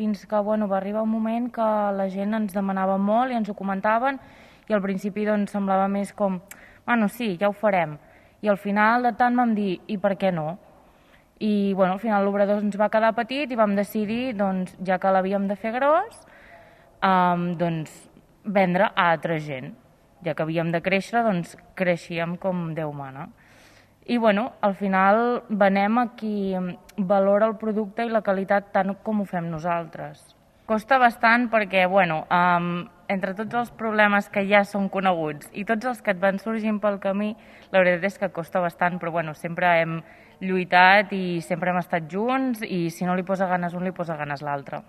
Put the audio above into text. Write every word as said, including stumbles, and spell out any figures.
fins que bueno, va arribar un moment que la gent ens demanava molt i ens ho comentaven i al principi doncs, semblava més com, bueno, sí, ja ho farem. I al final de tant vam dir, i per què no? I bueno, al final l'obrador ens va quedar petit i vam decidir, doncs, ja que l'havíem de fer gros, um, doncs, vendre a altra gent. Ja que havíem de créixer, doncs creixíem com Déu mana. I bueno, al final venem a qui valora el producte i la qualitat tant com ho fem nosaltres. Costa bastant perquè, bueno, um, entre tots els problemes que ja són coneguts i tots els que et van sorgint pel camí, la veritat és que costa bastant, però bueno, sempre hem lluitat i sempre hem estat junts i si no li posa ganes un, li posa ganes l'altre.